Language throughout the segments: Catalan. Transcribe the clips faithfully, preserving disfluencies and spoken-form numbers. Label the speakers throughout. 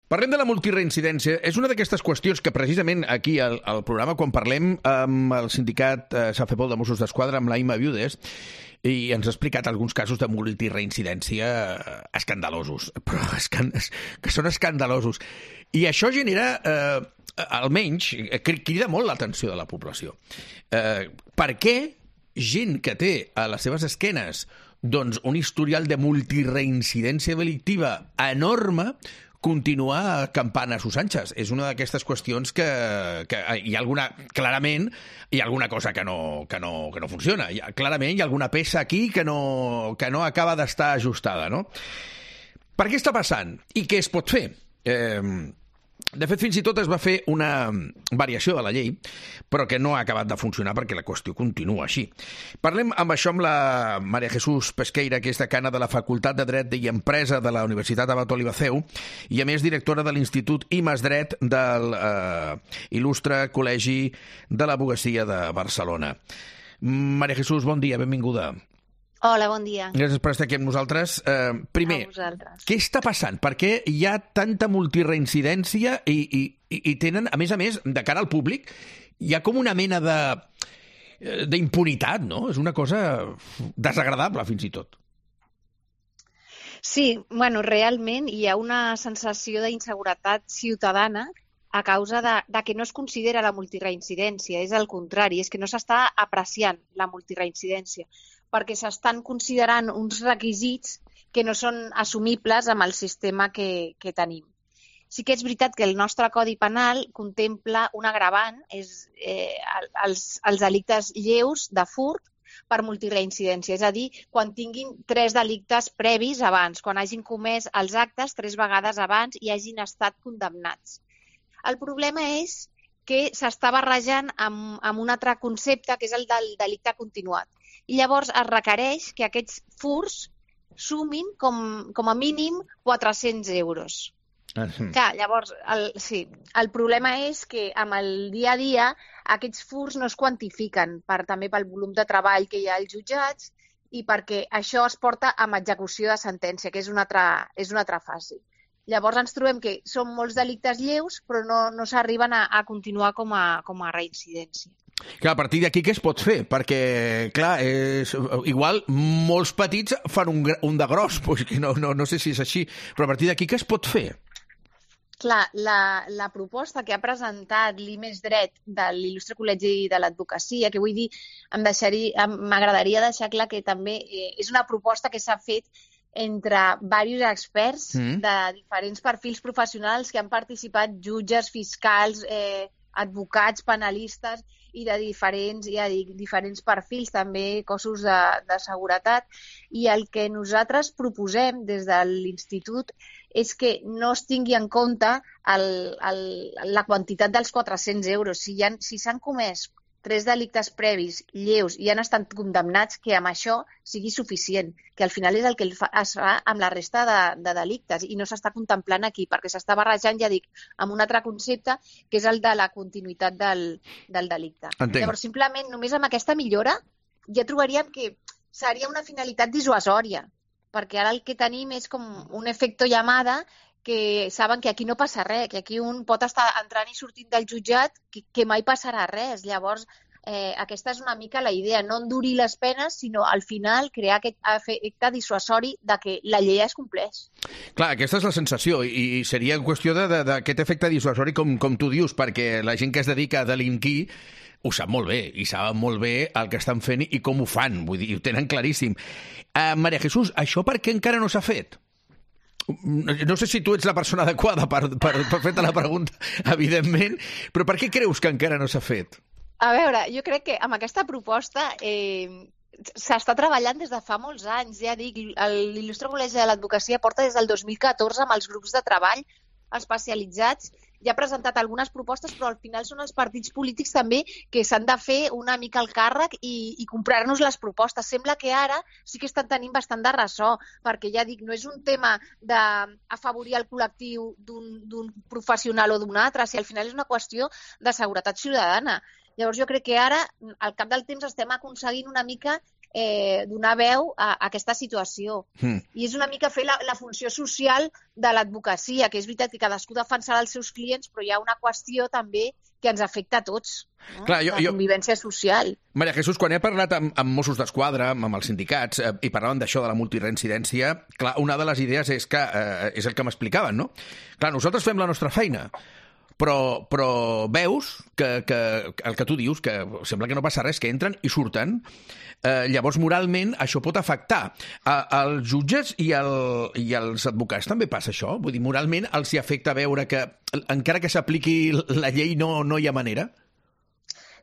Speaker 1: Parlem de la multireincidència. És una d'aquestes qüestions que precisament aquí al, al programa, quan parlem amb el sindicat eh, Safepol de Mossos d'Esquadra, amb l'Aima Viudes, i ens ha explicat alguns casos de multireincidència escandalosos, però escand que són escandalosos. I això genera, eh, almenys, crida molt l'atenció de la població. Eh, per què gent que té a les seves esquenes doncs, un historial de multireincidència delictiva enorme continuar acampant a sus anxes? És una d'aquestes qüestions que, que hi ha alguna, clarament, hi ha alguna cosa que no, que no, que no funciona. Hi ha, clarament hi ha alguna peça aquí que no, que no acaba d'estar ajustada, no? Per què està passant? I què es pot fer? Eh, de fet, fins i tot es va fer una variació de la llei, però que no ha acabat de funcionar perquè la qüestió continua així. Parlem amb això amb la Maria Jesús Pesqueira, que és decana de la Facultat de Dret i Empresa de la Universitat Abat Olivaceu i, a més, directora de l'Institut I M A S Dret del eh, il·lustre Col·legi de l'Advocacia de Barcelona. Maria Jesús, bon dia, benvinguda.
Speaker 2: Hola, bon dia.
Speaker 1: Gràcies per estar aquí amb nosaltres. Eh, primer, què està passant? Per què hi ha tanta multireincidència i, i, i tenen, a més a més, de cara al públic, hi ha com una mena de d'impunitat, no? És una cosa desagradable, fins i tot.
Speaker 2: Sí, bueno, realment hi ha una sensació d'inseguretat ciutadana a causa de, de que no es considera la multireincidència. És el contrari, és que no s'està apreciant la multireincidència, perquè s'estan considerant uns requisits que no són assumibles amb el sistema que, que tenim. Sí que és veritat que el nostre Codi Penal contempla un agravant, és eh, els, els delictes lleus de furt per multireincidència, és a dir, quan tinguin tres delictes previs abans, quan hagin comès els actes tres vegades abans i hagin estat condemnats. El problema és que s'està barrejant amb, amb un altre concepte, que és el del delicte continuat. I llavors es requereix que aquests furts sumin com, com a mínim quatre-cents euros. Uh -huh. Clar, llavors, el, sí, el problema és que amb el dia a dia aquests furts no es quantifiquen per, també pel volum de treball que hi ha als jutjats i perquè això es porta amb execució de sentència, que és una altra, és una altra fase. Llavors ens trobem que són molts delictes lleus però no, no s'arriben a, a continuar com a, com a reincidència.
Speaker 1: Clar, a partir d'aquí què es pot fer? Perquè, clar, és, igual molts petits fan un, un de gros, pues, que no, no, no sé si és així, però a partir d'aquí què es pot fer?
Speaker 2: Clar, la, la proposta que ha presentat l'I M A S Dret de l'Il·lustre Col·legi de l'Advocacia, que vull dir, m'agradaria deixar clar que també eh, és una proposta que s'ha fet entre diversos experts mm. de diferents perfils professionals que han participat, jutges, fiscals, eh, advocats, penalistes i de diferents, ja dic, diferents perfils, també cossos de, de seguretat. I el que nosaltres proposem des de l'Institut és que no es tingui en compte el, el, la quantitat dels quatre-cents euros. Si hi ha, si s'han comès tres delictes previs lleus i han estat condemnats, que amb això sigui suficient, que al final és el que es fa amb la resta de, de delictes i no s'està contemplant aquí, perquè s'està barrejant, ja dic, amb un altre concepte, que és el de la continuïtat del, del delicte.
Speaker 1: Entenc.
Speaker 2: Llavors, simplement, només amb aquesta millora ja trobaríem que seria una finalitat dissuasòria, perquè ara el que tenim és com un efecte llamada que saben que aquí no passa res, que aquí un pot estar entrant i sortint del jutjat que, que mai passarà res. Llavors, eh, aquesta és una mica la idea, no endurir les penes, sinó al final crear aquest efecte dissuasori de que la llei es compleix.
Speaker 1: Clar, aquesta és la sensació i seria qüestió d'aquest efecte dissuasori com, com tu dius, perquè la gent que es dedica a delinquir ho sap molt bé i saben molt bé el que estan fent i com ho fan, vull dir, ho tenen claríssim. Uh, Maria Jesús, això per què encara no s'ha fet? No sé si tu ets la persona adequada per, per, per fer-te la pregunta, evidentment, però per què creus que encara no s'ha fet?
Speaker 2: A veure, jo crec que amb aquesta proposta eh, s'està treballant des de fa molts anys. Ja dic, l'Il·lustre Col·legi de l'Advocacia porta des del dos mil catorze amb els grups de treball especialitzats. Ja ha presentat algunes propostes, però al final són els partits polítics també que s'han de fer una mica el càrrec i, i comprar-nos les propostes. Sembla que ara sí que estan tenint bastant de ressò, perquè ja dic, no és un tema d'afavorir el col·lectiu d'un professional o d'un altre, si al final és una qüestió de seguretat ciutadana. Llavors jo crec que ara, al cap del temps, estem aconseguint una mica eh, donar veu a, a aquesta situació. Mm. I és una mica fer la, la funció social de l'advocacia, que és veritat que cadascú defensarà els seus clients, però hi ha una qüestió també que ens afecta a tots, no? Clar, jo, la convivència jo... social.
Speaker 1: Maria Jesús, quan he parlat amb, amb Mossos d'Esquadra, amb els sindicats, eh, i parlaven d'això, de la multireincidència, clar, una de les idees és que eh, és el que m'explicaven, no? Clar, nosaltres fem la nostra feina, però, però veus que, que el que tu dius, que sembla que no passa res, que entren i surten, eh, llavors moralment això pot afectar. A, als jutges i, el, i als advocats també passa això? Vull dir, moralment els hi afecta veure que encara que s'apliqui la llei no, no hi ha manera?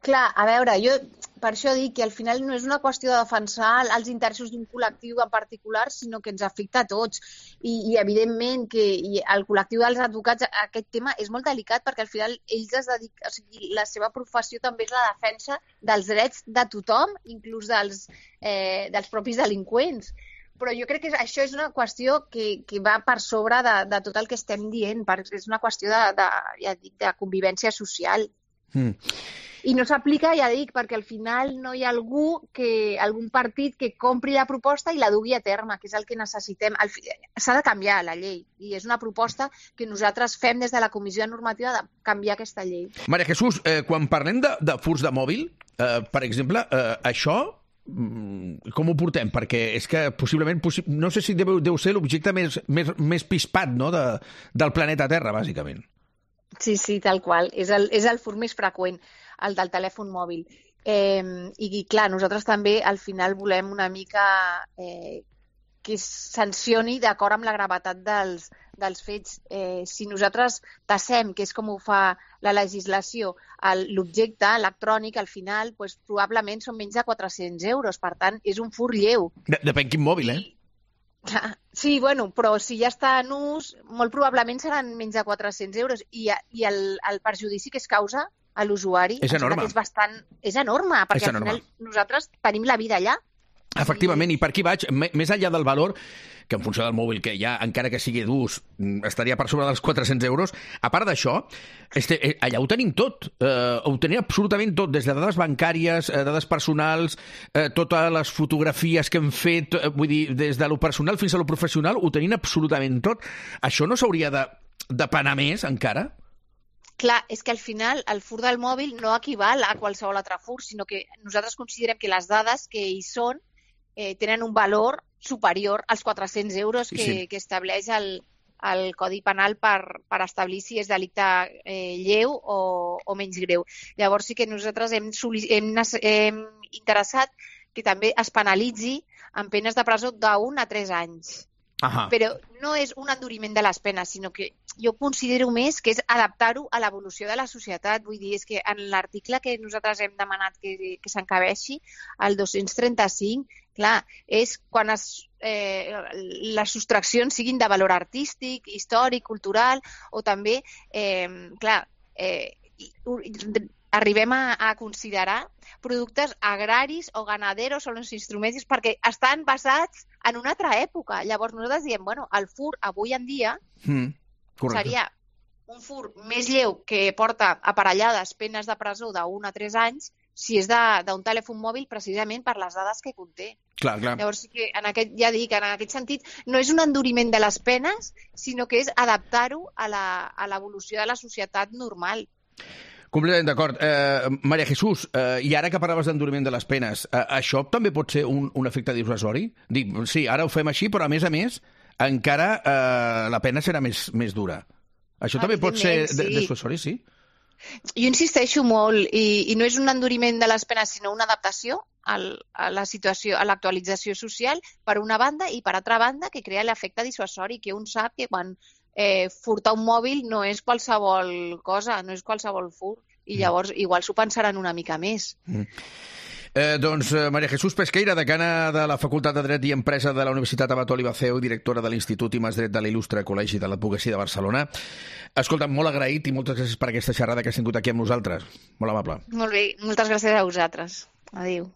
Speaker 2: Clar, a veure, jo per això dic que al final no és una qüestió de defensar els interessos d'un col·lectiu en particular, sinó que ens afecta a tots. I, i evidentment que i el col·lectiu dels advocats, aquest tema és molt delicat perquè al final ells es dediquen, o sigui, la seva professió també és la defensa dels drets de tothom, inclús dels, eh, dels propis delinqüents. Però jo crec que això és una qüestió que, que va per sobre de, de tot el que estem dient, perquè és una qüestió de, de, ja dic, de convivència social. Mm. I no s'aplica, ja dic, perquè al final no hi ha algú que, algun partit que compri la proposta i la dugui a terme, que és el que necessitem. S'ha de canviar la llei i és una proposta que nosaltres fem des de la Comissió Normativa de canviar aquesta llei.
Speaker 1: Maria Jesús, eh, quan parlem de, de furts de mòbil, eh, per exemple, eh, això com ho portem? Perquè és que possiblement, possi- no sé si deu, deu ser l'objecte més, més, més pispat, no?, de, del planeta Terra, bàsicament.
Speaker 2: Sí, sí, tal qual. És el, és el furt més freqüent, el del telèfon mòbil. Eh, i, I, clar, nosaltres també al final volem una mica eh, que es sancioni d'acord amb la gravetat dels, dels fets. Eh, si nosaltres tassem, que és com ho fa la legislació, el, l'objecte electrònic, al final, doncs, probablement són menys de quatre-cents euros. Per tant, és un furt lleu.
Speaker 1: Depèn quin mòbil, eh?
Speaker 2: Sí, bueno, però si ja està en ús, molt probablement seran menys de quatre-cents euros i, i el, el perjudici que es causa a l'usuari
Speaker 1: és enorme.
Speaker 2: És, bastant, és enorme, perquè
Speaker 1: és
Speaker 2: al
Speaker 1: enorme.
Speaker 2: final nosaltres tenim la vida allà.
Speaker 1: Efectivament, i per aquí vaig, més enllà del valor, que en funció del mòbil que hi ha, encara que sigui d'ús, estaria per sobre dels quatre-cents euros, a part d'això, este, allà ho tenim tot, eh, ho tenim absolutament tot, des de dades bancàries, eh, dades personals, eh, totes les fotografies que hem fet, eh, vull dir, des de lo personal fins a lo professional, ho tenim absolutament tot. Això no s'hauria de, de penar més, encara?
Speaker 2: Clar, és que al final el furt del mòbil no equival a qualsevol altre furt, sinó que nosaltres considerem que les dades que hi són eh, tenen un valor superior als quatre-cents euros que, sí. que estableix el, el Codi Penal per, per establir si és delicte eh, lleu o, o menys greu. Llavors sí que nosaltres hem, hem, hem interessat que també es penalitzi amb penes de presó d'un a tres anys.
Speaker 1: Ahà.
Speaker 2: Però no és un enduriment de les penes, sinó que jo considero més que és adaptar-ho a l'evolució de la societat. Vull dir, és que en l'article que nosaltres hem demanat que, que s'encabeixi, el dos-cents trenta-cinc, clar, és quan es, eh, les sostraccions siguin de valor artístic, històric, cultural, o també, eh, clar, eh, arribem a, a considerar productes agraris o ganaderos o els instruments perquè estan basats en una altra època. Llavors nosaltres diem, bueno, el furt avui en dia mm, seria un furt més lleu que porta aparellades penes de presó d'un a tres anys si és d'un telèfon mòbil precisament per les dades que conté.
Speaker 1: Clar, clar.
Speaker 2: Llavors sí que en aquest, ja dic, en aquest sentit no és un enduriment de les penes, sinó que és adaptar-ho a la, a l'evolució de la societat normal.
Speaker 1: Completament d'acord. Eh, Maria Jesús, eh, i ara que parlaves d'enduriment de les penes, eh, això també pot ser un, un efecte dissuasori? Dic, sí, ara ho fem així, però a més a més encara eh, la pena serà més, més dura. Això també pot ser sí. dissuasori, sí?
Speaker 2: Jo insisteixo molt, i, i no és un enduriment de les penes, sinó una adaptació al, a la situació, a l'actualització social, per una banda, i per altra banda, que crea l'efecte dissuasori, que un sap que quan eh, furtar un mòbil no és qualsevol cosa, no és qualsevol furt, i llavors igual s'ho pensaran una mica més.
Speaker 1: Mm. Eh, doncs eh, Maria Jesús Pesqueira, decana de la Facultat de Dret i Empresa de la Universitat Abat Oliva C E U, directora de l'Institut I més Dret de l'Il·lustre Col·legi de l'Advocacia de Barcelona. Escolta, molt agraït i moltes gràcies per aquesta xerrada que has tingut aquí amb nosaltres. Molt amable.
Speaker 2: Molt bé, moltes gràcies a vosaltres. Adéu.